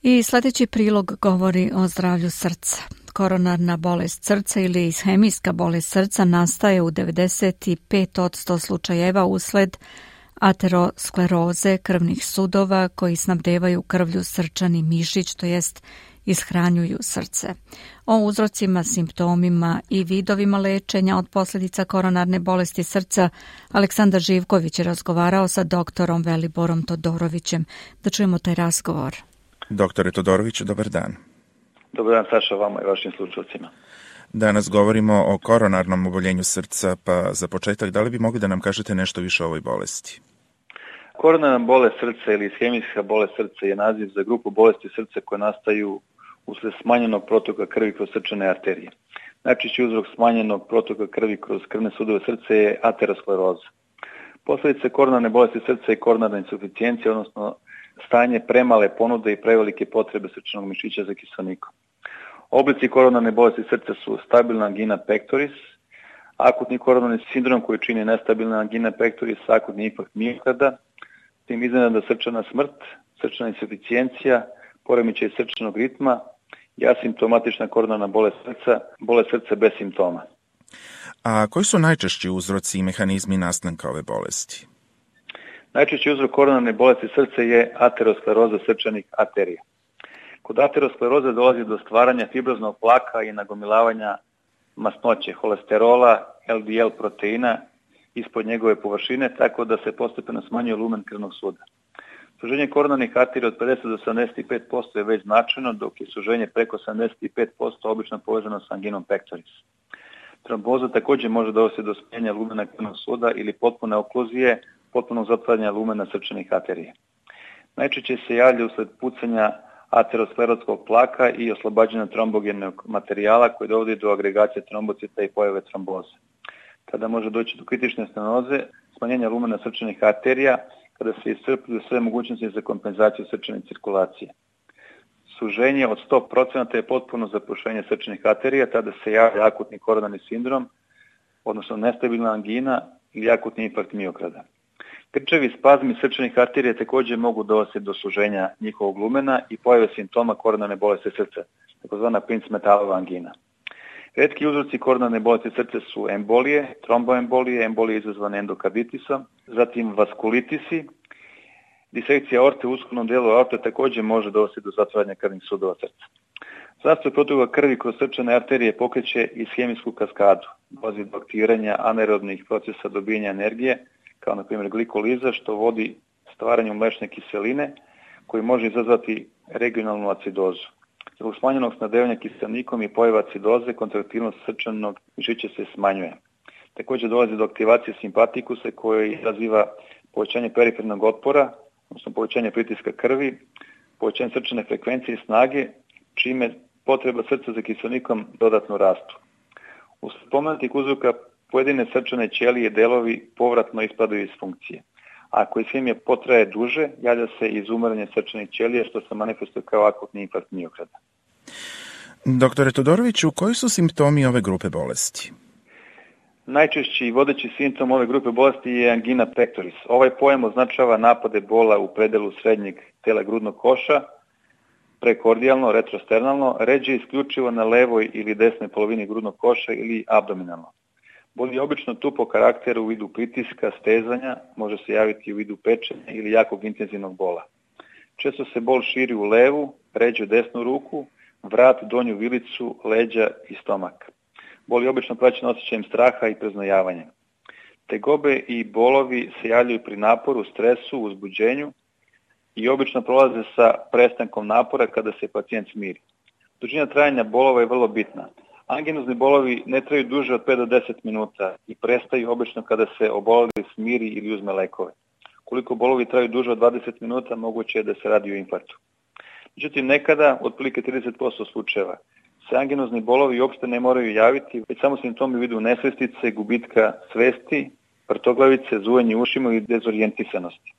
Speaker 1: I sljedeći prilog govori o zdravlju srca. Koronarna bolest srca ili ishemijska bolest srca nastaje u devedeset pet posto slučajeva usled ateroskleroze krvnih sudova koji snabdevaju krvlju srčani mišić, to jest ishranjuju srce. O uzrocima, simptomima i vidovima lečenja od posljedica koronarne bolesti srca Aleksandar Živković je razgovarao sa doktorom Veliborom Todorovićem. Da čujemo taj razgovor.
Speaker 12: Doktore Todorović, dobar dan.
Speaker 13: Dobar dan, Saša, vama i vašim slušalcima.
Speaker 12: Danas govorimo o koronarnom oboljenju srca, pa za početak, da li bi mogli da nam kažete nešto više o ovoj bolesti?
Speaker 13: Koronarna bolest srca ili ishemijska bolest srca je naziv za grupu bolesti srca koje nastaju usled smanjenog protoka krvi kroz srčane arterije. Najčešći uzrok smanjenog protoka krvi kroz krvne sudove srca je ateroskleroza. Posljedice koronarne bolesti srca je koronarna insuficijencija, odnosno stanje premale ponude i prevelike potrebe srčanog mišića za kiselnikom. Oblici koronarne bolesti srca su stabilna angina pectoris, akutni koronarni sindrom koji čini nestabilna angina pectoris, akutni infarkt miokarda, tim iznenadna srčana smrt, srčana insuficijencija, poremećaj srčanog ritma i asimptomatična koronarna bolest srca, bolest srca bez simptoma.
Speaker 12: A koji su najčešći uzroci i mehanizmi nastanka ove bolesti?
Speaker 13: Najčešći uzrok koronarne bolesti srca je ateroskleroza srčanih arterija. Kod ateroskleroze dolazi do stvaranja fibroznog plaka i nagomilavanja masnoće, holesterola, el de el proteina ispod njegove površine, tako da se postepeno smanjuje lumen krvnog suda. Suženje koronarnih arterija od pedeset do sedamdeset pet posto je već značajno, dok je suženje preko sedamdeset pet posto obično povezano sa anginom pectoris. Tromboza također može dovesti do smanjenja lumena krvnog suda ili potpune okluzije, potpunog zatvaranja lumena srčanih arterija. Najčešće se javlja usled pucanja aterosklerotskog plaka i oslobađanja trombogenog materijala koji dovodi do agregacije trombocita i pojave tromboze. Tada može doći do kritične stenoze, smanjenja lumena srčanih arterija, kada se iscrpljuju sve mogućnosti za kompenzaciju srčane cirkulacije. Suženje od sto posto je potpuno zapušenje srčanih arterija, tada se javlja akutni koronarni sindrom, odnosno nestabilna angina ili akutni infarkt miokarda. Krčevi spazmi srčanih arterija također mogu dovesti do suženja njihovog lumena i pojave simptoma koronarne bolesti srca, takozvana Prince-Metalova angina. Retki uzroci koronarne bolesti srca su embolije, tromboembolije, embolije izazvane endokarditisom, zatim vaskulitisi, disekcija aorte u uskovnom dijelu aorte također može dovesti do zatvaranja krvnih sudova srca. Zastoj protoka krvi kroz srčane arterije pokreće ishemijsku kaskadu, dolazi do aktiviranja anaerobnih procesa dobijanja energije, kao na primjer glikoliza, što vodi stvaranju mlečne kiseline, koji može izazvati regionalnu acidozu. Zbog smanjenog snabdevanja kiselnikom i pojava acidoze, kontraktilnost srčanog mišića se smanjuje. Također dolazi do aktivacije simpatikusa koji izaziva povećanje perifernog otpora, odnosno povećanje pritiska krvi, povećanje srčane frekvencije i snage, čime potreba srca za kiselnikom dodatno rastu. U spomenutih uzroka pojedine srčane ćelije delovi povratno ispadaju iz funkcije. Ako ishemija potraje duže, javlja se izumiranje srčanih ćelija, što se manifestuje kao akutni infarkt miokarda.
Speaker 12: Doktore Todoroviću, koji su simptomi ove grupe bolesti?
Speaker 13: Najčešći i vodeći simptom ove grupe bolesti je angina pectoris. Ovaj pojam označava napade bola u predelu srednjeg tela grudnog koša, prekordijalno, retrosternalno, ređe isključivo na levoj ili desnoj polovini grudnog koša ili abdominalno. Bol je obično tu po karakteru u vidu pritiska, stezanja, može se javiti u vidu pečenja ili jakog intenzivnog bola. Često se bol širi u levu, ređe desnu ruku, vrat, donju vilicu, leđa i stomak. Bol je obično praćen osjećajem straha i preznojavanjem. Tegobe i bolovi se javljaju pri naporu, stresu, uzbuđenju i obično prolaze sa prestankom napora kada se pacijent smiri. Dužina trajanja bolova je vrlo bitna. Anginozni bolovi ne traju duže od pet do deset minuta i prestaju obično kada se oboleli smiri ili uzme lekove. Koliko bolovi traju duže od dvadeset minuta, moguće je da se radi o infarktu. Međutim, nekada, otprilike trideset posto slučajeva, se anginozni bolovi uopšte ne moraju javiti, već samo simptomi u vidu nesvestice, gubitka svesti, vrtoglavice, zujanje ušima i dezorijentisanosti.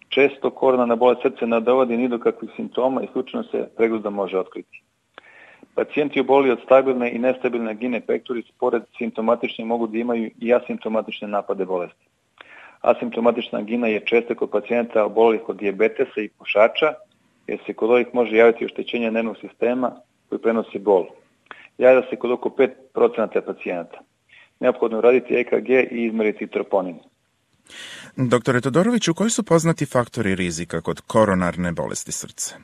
Speaker 13: Često koronarna bolest srca ne dovodi ni do kakvih simptoma i slučajno se pregledom može otkriti. Pacijenti oboli od stabilne i nestabilne angine pectoris pored simptomatične mogu da imaju i asimptomatične napade bolesti. Asimptomatična angina je česta kod pacijenta obolelih od dijabetesa i pušača, jer se kod ovih može javiti oštećenje nervnog sistema koji prenosi bol. Javlja se kod oko pet procenata pacijenata. Neophodno je raditi E K G i izmeriti troponin.
Speaker 12: Doktore Todoroviću, koji su poznati faktori rizika kod koronarne bolesti srca?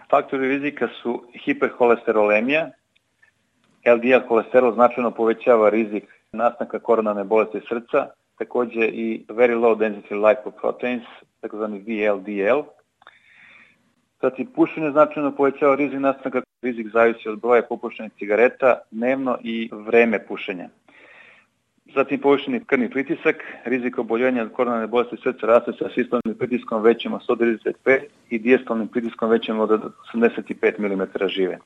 Speaker 13: Faktori rizika su hiperholesterolemija. L D L holesterol značajno povećava rizik nastanka koronarne bolesti srca, također i very low density lipoproteins, takozvani V L D L. Zatim, pušenje značajno povećava rizik nastanka, rizik zavisi od broja popušenih cigareta dnevno i vreme pušenja. Zatim, povišeni krvni pritisak, rizik oboljenja od koronarne bolesti srca raste sa sistolnim pritiskom većim od sto trideset pet i diastolnim pritiskom većim od osamdeset pet milimetara žive.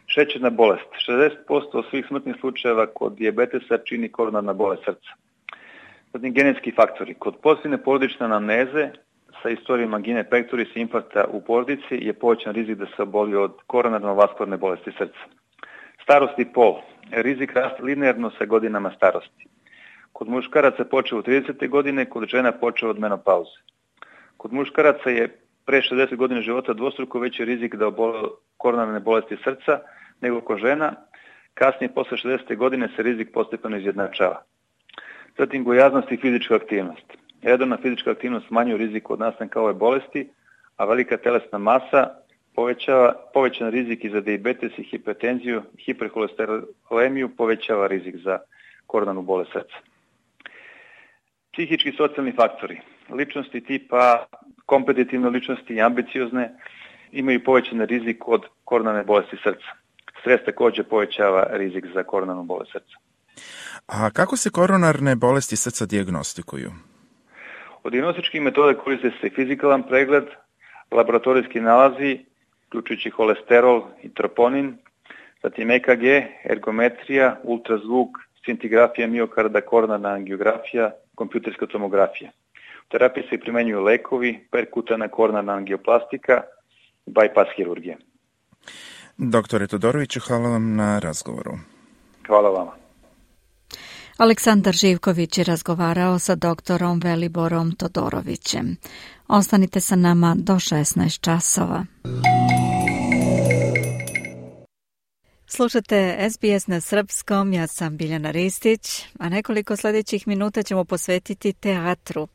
Speaker 13: Šećerna bolest. šezdeset posto svih smrtnih slučajeva kod dijabetesa čini koronarna bolest srca. Zatim, genetski faktori. Kod pozitivne porodične anamneze sa istorijom angine pectoris i infarkta u porodici je povećan rizik da se oboli od koronarno-vaskularne bolesti srca. Starost i pol. Rizik raste linearno sa godinama starosti. Kod muškaraca počeo u tridesete godine, kod žena počeo od menopauze. Kod muškaraca je pre šezdeset godina života dvostruko veći rizik da obole koronarne bolesti srca nego kod žena. Kasnije, posle šezdesete godine, se rizik postepeno izjednačava. Zatim, gojaznost i fizička aktivnost. Redovna fizička aktivnost smanjuje rizik od nastanka ove bolesti, a velika telesna masa povećava povećan rizik i za dijabetes i hipertenziju, hiperholesterolemiju, povećava rizik za koronarnu bolest srca. Psihički i socijalni faktori. Ličnosti tipa kompetitivne ličnosti i ambiciozne imaju povećan rizik od koronarne bolesti srca. Stres također povećava rizik za koronarnu bolest srca.
Speaker 12: A kako se koronarne bolesti srca dijagnostikuju?
Speaker 13: Od dijagnostičkih metoda koriste se fizikalan pregled, laboratorijski nalazi, uključujući holesterol i troponin, zatim E K G, ergometrija, ultrazvuk, scintigrafija miokarda, koronarna angiografija, kompjuterska tomografija. U terapiji se primenjuju lekovi, perkutana koronarna angioplastika, bypass hirurgija.
Speaker 12: Doktore Todoroviću, hvala vam na razgovoru.
Speaker 13: Hvala vama.
Speaker 1: Aleksandar Živković je razgovarao sa doktorom Veliborom Todorovićem. Ostanite sa nama do šesnaest časova. Slušate S B S na srpskom, ja sam Biljana Ristić, a nekoliko sljedećih minuta ćemo posvetiti teatru.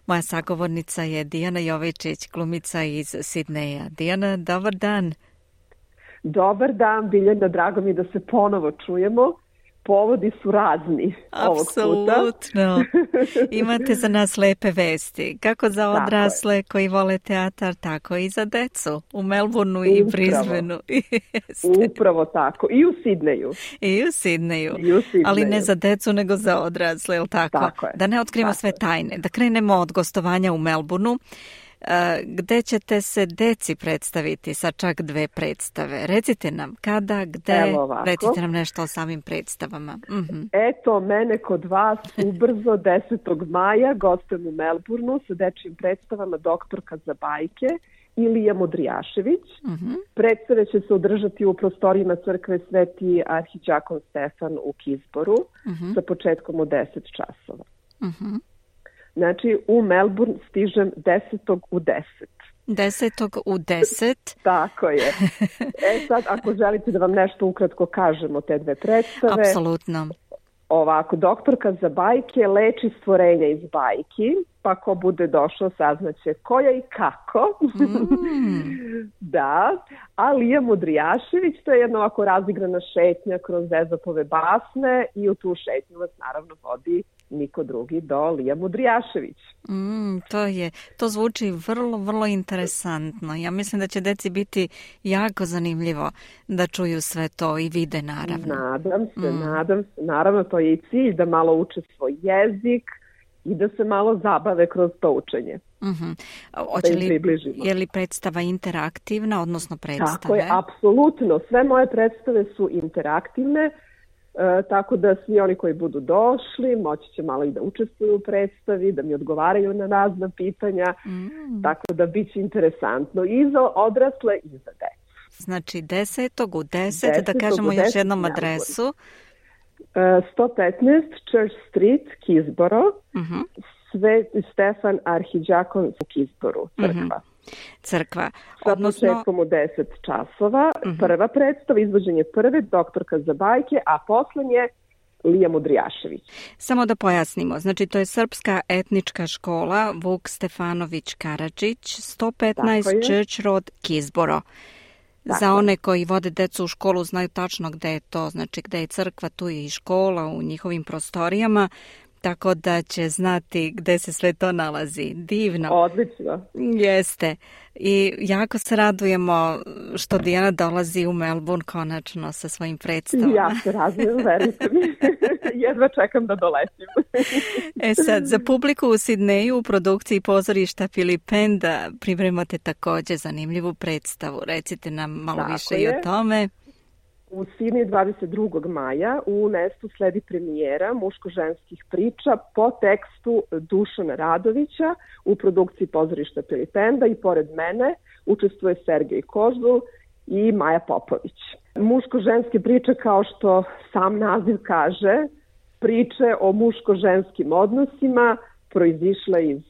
Speaker 1: Moja sagovornica je Dijana Jovičić, glumica iz Sidneja. Dijana, dobar dan.
Speaker 14: Dobar dan, Biljana, drago mi da se ponovo čujemo. Povodi su razni ovog puta.
Speaker 1: Apsolutno. Imate za nas lepe vesti. Kako za odrasle koji vole teatar, tako i za decu. U Melbourneu i Brisbaneu.
Speaker 14: Upravo tako. I u Sidneju.
Speaker 1: I u Sidneju.
Speaker 14: I u Sidneju.
Speaker 1: Ali ne za decu, nego za odrasle, jel tako?
Speaker 14: Tako je.
Speaker 1: Da ne otkrimo sve tajne. Da krenemo od gostovanja u Melbourneu, gde ćete se deci predstaviti sa čak dve predstave. Recite nam kada, gde, recite nam nešto o samim predstavama. Mm-hmm.
Speaker 14: Eto, mene kod vas ubrzo desetog maja gostujem u Melbourneu sa dečjim predstavama Doktorka za bajke i Lija Modrijašević. Mm-hmm. Predstave će se održati u prostorijima crkve Sveti arhiđakon Stefan u Kisboru mm-hmm. sa početkom od deset časova.
Speaker 1: Mm-hmm.
Speaker 14: Znači, u Melbourne stižem desetog u deset.
Speaker 1: Desetog u deset.
Speaker 14: Tako je. E sad, ako želite da vam nešto ukratko kažemo te dve predstave.
Speaker 1: Apsolutno.
Speaker 14: Ovako, Doktorka za bajke leči stvorenja iz bajki, pa ko bude došao saznaće koja i kako. Mm. Da. A Lija Modrijašević, to je jedna ovako razigrana šetnja kroz Ezopove basne i u tu šetnju vas naravno vodi niko drugi do Lija Modrijašević.
Speaker 1: Mm, to je, to zvuči vrlo, vrlo interesantno. Ja mislim da će deci biti jako zanimljivo da čuju sve to i vide, naravno.
Speaker 14: Nadam se,
Speaker 1: mm.
Speaker 14: nadam se. Naravno, to je i cilj da malo uče svoj jezik i da se malo zabave kroz to učenje.
Speaker 1: Mm-hmm. Oće li, je li predstava interaktivna, odnosno predstave?
Speaker 14: Tako je, apsolutno. Sve moje predstave su interaktivne. E, tako da svi oni koji budu došli moći će malo i da učestvuju u predstavi, da mi odgovaraju na razna pitanja, mm. tako da bit će interesantno i za odrasle i za decu.
Speaker 1: Znači desetog u deset, da kažemo još jednom adresu.
Speaker 14: E, sto petnaest Church Street, Kisboro,
Speaker 1: mm-hmm.
Speaker 14: Sveti Stefan arhiđakon u Kisboru, crkva.
Speaker 1: Mm-hmm. crkva.
Speaker 14: Sa
Speaker 1: Odnosno...
Speaker 14: početkom u deset časova, uh-huh. prva predstava, izvođenje prve, doktorka za bajke, a poslednje Lija Mudrijašević.
Speaker 1: Samo da pojasnimo, znači to je Srpska etnička škola Vuk Stefanović Karadžić, sto petnaest Church Road, Kizboro. Tako. Za one koji vode decu u školu znaju tačno gde je to, znači gde je crkva, tu je i škola u njihovim prostorijama, tako da će znati gde se sve to nalazi. Divno.
Speaker 14: Odlično.
Speaker 1: Jeste. I jako se radujemo što Dijana dolazi u Melbourne konačno sa svojim predstavama.
Speaker 14: Ja se radujem, verujte mi. Jedva čekam da doletim.
Speaker 1: E sad, za publiku u Sidneju u produkciji pozorišta Filipenda pripremate takođe zanimljivu predstavu. Recite nam malo Tako više je. i o tome.
Speaker 14: U Sidneju dvadeset drugog maja u Nestu sledi premijera muško-ženskih priča po tekstu Dušana Radovića u produkciji pozorišta Filipenda i pored mene učestvuje Sergej Kožul i Maja Popović. Muško-ženske priče, kao što sam naziv kaže, priče o muško-ženskim odnosima proizišle iz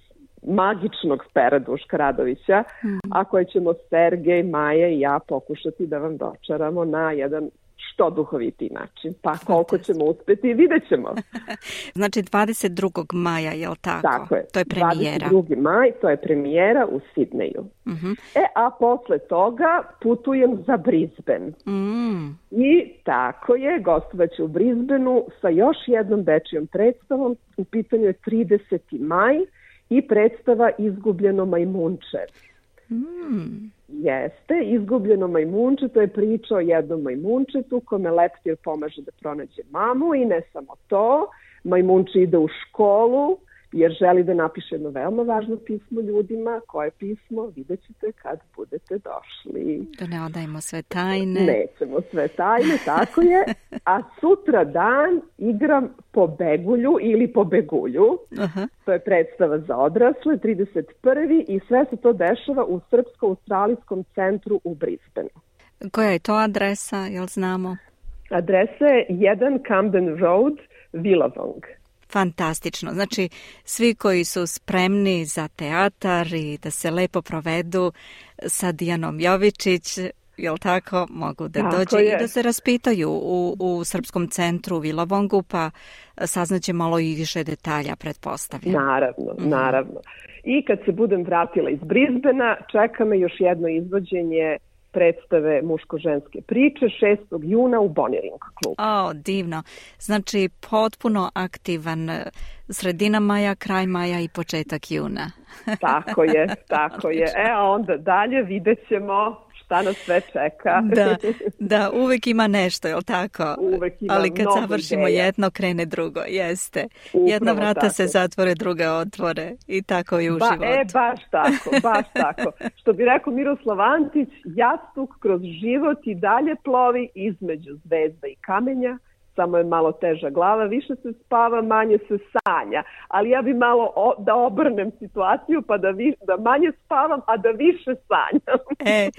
Speaker 14: magičnog pera Duška Radovića, mm. a koje ćemo Sergej, Maja i ja pokušati da vam dočaramo na jedan što duhovitiji način. Pa koliko ćemo uspeti, vidjet ćemo.
Speaker 1: Znači dvadeset drugog maja, je li tako?
Speaker 14: Tako je.
Speaker 1: To je premijera.
Speaker 14: dvadeset drugi maj, to je premijera u Sidneju.
Speaker 1: Mm-hmm.
Speaker 14: E, a posle toga putujem za Brisbane.
Speaker 1: Mm.
Speaker 14: I tako je, gostovaću u Brisbaneu sa još jednom dečijom predstavom. U pitanju je trideseti maj i predstava Izgubljeno majmunče.
Speaker 1: Mm.
Speaker 14: Jeste, Izgubljeno majmunče, to je priča o jednom majmunčetu kome leptir pomaže da pronađe mamu i ne samo to, majmunče ide u školu jer želi da napiše jedno veoma važno pismo ljudima. Koje pismo? Vidjet ćete kad budete došli.
Speaker 1: Da ne odajemo sve tajne.
Speaker 14: Nećemo sve tajne, tako je. A sutra dan igram Pobegulju ili Pobegulju.
Speaker 1: Aha.
Speaker 14: To je predstava za odrasle, trideset prvi i sve se to dešava u Srpsko-australijskom centru u Brisbaneu.
Speaker 1: Koja je to adresa, jel znamo?
Speaker 14: Adresa je jedan Camden Road, Willawong.
Speaker 1: Fantastično. Znači, svi koji su spremni za teatar i da se lepo provedu sa Dijanom Jovičić, jel tako, mogu da
Speaker 14: tako
Speaker 1: dođe
Speaker 14: je.
Speaker 1: i da se raspitaju u, u Srpskom centru u Willawongu, pa saznaće malo i više detalja, pretpostavljam.
Speaker 14: Naravno,
Speaker 1: mm-hmm. naravno.
Speaker 14: I kad se budem vratila iz Brisbanea, čeka me još jedno izvođenje predstave muško-ženske priče šestog juna u Bonnering klubu.
Speaker 1: O, divno. Znači, potpuno aktivan sredina maja, kraj maja i početak juna.
Speaker 14: Tako je, tako je. E, a onda dalje vidjet ćemo šta nas sve čeka.
Speaker 1: Da, da, uvek ima nešto, je li tako?
Speaker 14: Uvek ima
Speaker 1: Ali kad
Speaker 14: mnogo
Speaker 1: završimo
Speaker 14: ideja.
Speaker 1: jedno, krene drugo, jeste.
Speaker 14: Upravo
Speaker 1: Jedna vrata
Speaker 14: tako.
Speaker 1: se zatvore, druga otvore i tako i u
Speaker 14: ba,
Speaker 1: životu.
Speaker 14: E, baš tako, baš tako. Što bi rekao Miroslav Antić, jastuk kroz život i dalje plovi između zvezda i kamenja, samo je malo teža glava, više se spava, manje se sanja. Ali ja bi malo o, da obrnem situaciju, pa da, vi, da manje spavam, a da više sanjam.
Speaker 1: E,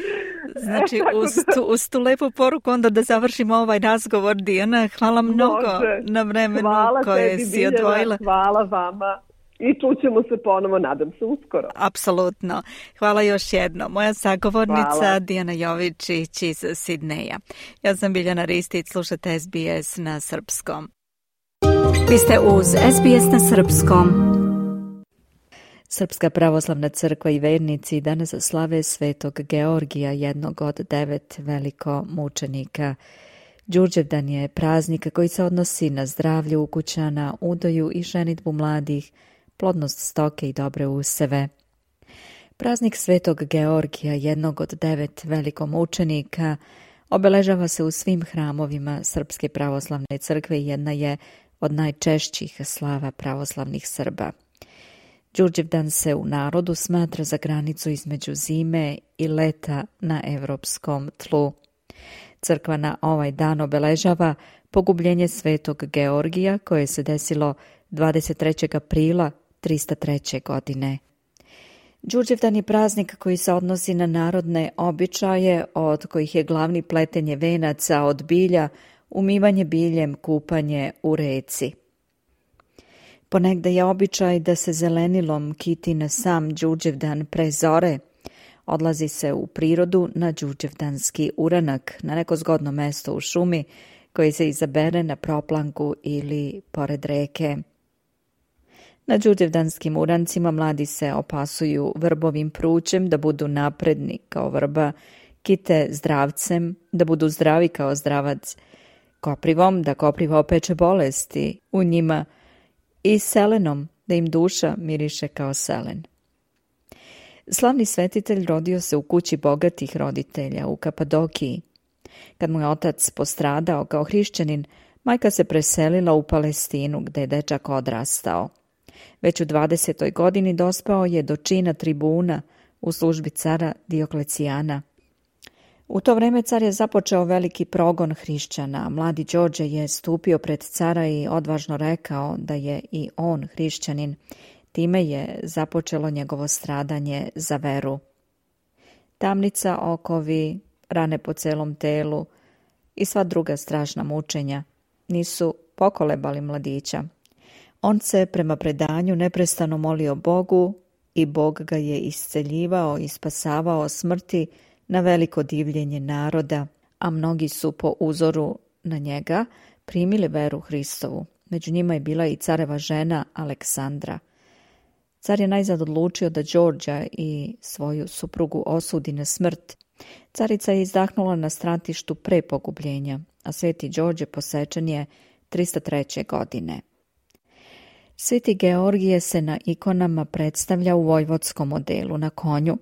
Speaker 1: znači, e, uz, tu, uz tu lepu poruku onda da završimo ovaj razgovor, Dijana. Hvala mnogo
Speaker 14: Može.
Speaker 1: na vremenu
Speaker 14: hvala
Speaker 1: koje
Speaker 14: tebi,
Speaker 1: si
Speaker 14: Biljana,
Speaker 1: odvojila.
Speaker 14: Hvala vama. I čućemo se ponovo, nadam se, uskoro.
Speaker 1: Apsolutno. Hvala još jedno. Moja sagovornica
Speaker 14: Hvala.
Speaker 1: Dijana Jovičić iz Sidneja. Ja sam Biljana Ristić, slušate S B S na srpskom. Vi ste uz S B S na srpskom. Srpska pravoslavna crkva i vernici danas slave Svetog Georgija, jednog od devet velikomučenika. Đurđevdan je praznik koji se odnosi na zdravlje ukućana, udoju i ženidbu mladih, plodnost stoke i dobre useve. Praznik Svetog Georgija, jednog od devet velikomučenika, obeležava se u svim hramovima Srpske pravoslavne crkve i jedna je od najčešćih slava pravoslavnih Srba. Đurđevdan se u narodu smatra za granicu između zime i leta na evropskom tlu. Crkva na ovaj dan obeležava pogubljenje Svetog Georgija koje se desilo dvadeset trećeg aprila trista treće. godine. Đurđevdan je praznik koji se odnosi na narodne običaje, od kojih je glavni pletenje venaca od bilja, umivanje biljem, kupanje u reci. Ponegde je običaj da se zelenilom kiti na sam Đurđevdan pre zore, Odlazi se u prirodu na đurđevdanski uranak, na neko zgodno mesto u šumi koji se izabere na proplanku ili pored reke. Na đurđevdanskim urancima mladi se opasuju vrbovim prućem da budu napredni kao vrba, kite zdravcem da budu zdravi kao zdravac, koprivom da kopriva opeče bolesti u njima i selenom da im duša miriše kao selen. Slavni svetitelj rodio se u kući bogatih roditelja u Kapadokiji. Kad mu je otac postradao kao hrišćanin, majka se preselila u Palestinu gde je dečak odrastao. Već u dvadesetoj godini dospao je do čina tribuna u službi cara Dioklecijana. U to vreme car je započeo veliki progon hrišćana, a mladi Đorđe je stupio pred cara i odvažno rekao da je i on hrišćanin. Time je započelo njegovo stradanje za veru. Tamnica, okovi, rane po celom telu i sva druga strašna mučenja nisu pokolebali mladića. On se prema predanju neprestano molio Bogu i Bog ga je isceljivao i spasavao smrti na veliko divljenje naroda, a mnogi su po uzoru na njega primili veru Hristovu. Među njima je bila i careva žena Aleksandra. Car je najzad odlučio da Đorđa i svoju suprugu osudi na smrt. Carica je izdahnula na stratištu pre pogubljenja, a sveti Đorđe posečen je trista treće. godine. Sveti Georgije se na ikonama predstavlja u vojvodskom modelu na konju,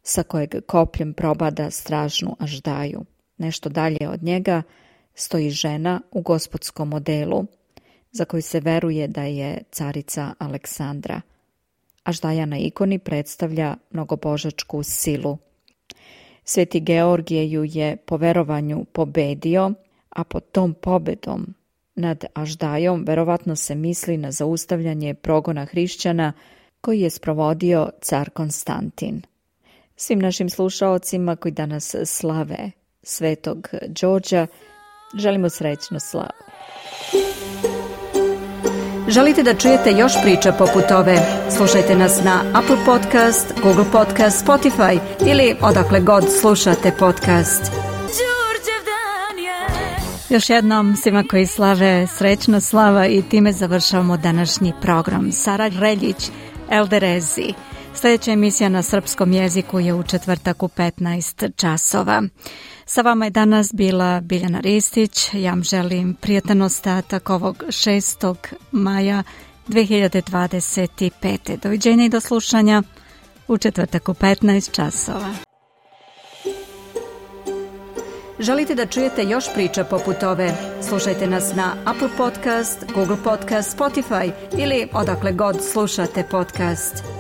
Speaker 1: sa kojeg kopljem probada stražnu aždaju. Nešto dalje od njega stoji žena u gospodskom modelu, za koju se veruje da je carica Aleksandra. Aždaja na ikoni predstavlja mnogobožačku silu. Sveti Georgije ju je po verovanju pobedio, a pod tom pobedom nad Aždajom verovatno se misli na zaustavljanje progona hrišćana koji je sprovodio car Konstantin. Svim našim slušaocima koji danas slave svetog Đorđa želimo srećnu slavu.
Speaker 15: Želite da čujete još priča poput ove? Slušajte nas na Apple Podcast, Google Podcast, Spotify ili odakle god slušate podcast.
Speaker 1: Još jednom svima koji slave srećna slava i time završavamo današnji program. Sara Reljić, Elderezi. Sljedeća emisija na srpskom jeziku je u četvrtak u petnaest časova. Sa vama je danas bila Biljana Ristić. Ja vam želim prijatan ostatak ovog šestog maja dve hiljade dvadeset pete. Doviđenja i do slušanja u četvrtak u petnaest časova.
Speaker 15: Želite da čujete još priča poput ove? Slušajte nas na Apple Podcast, Google Podcast, Spotify ili odakle god slušate podcast.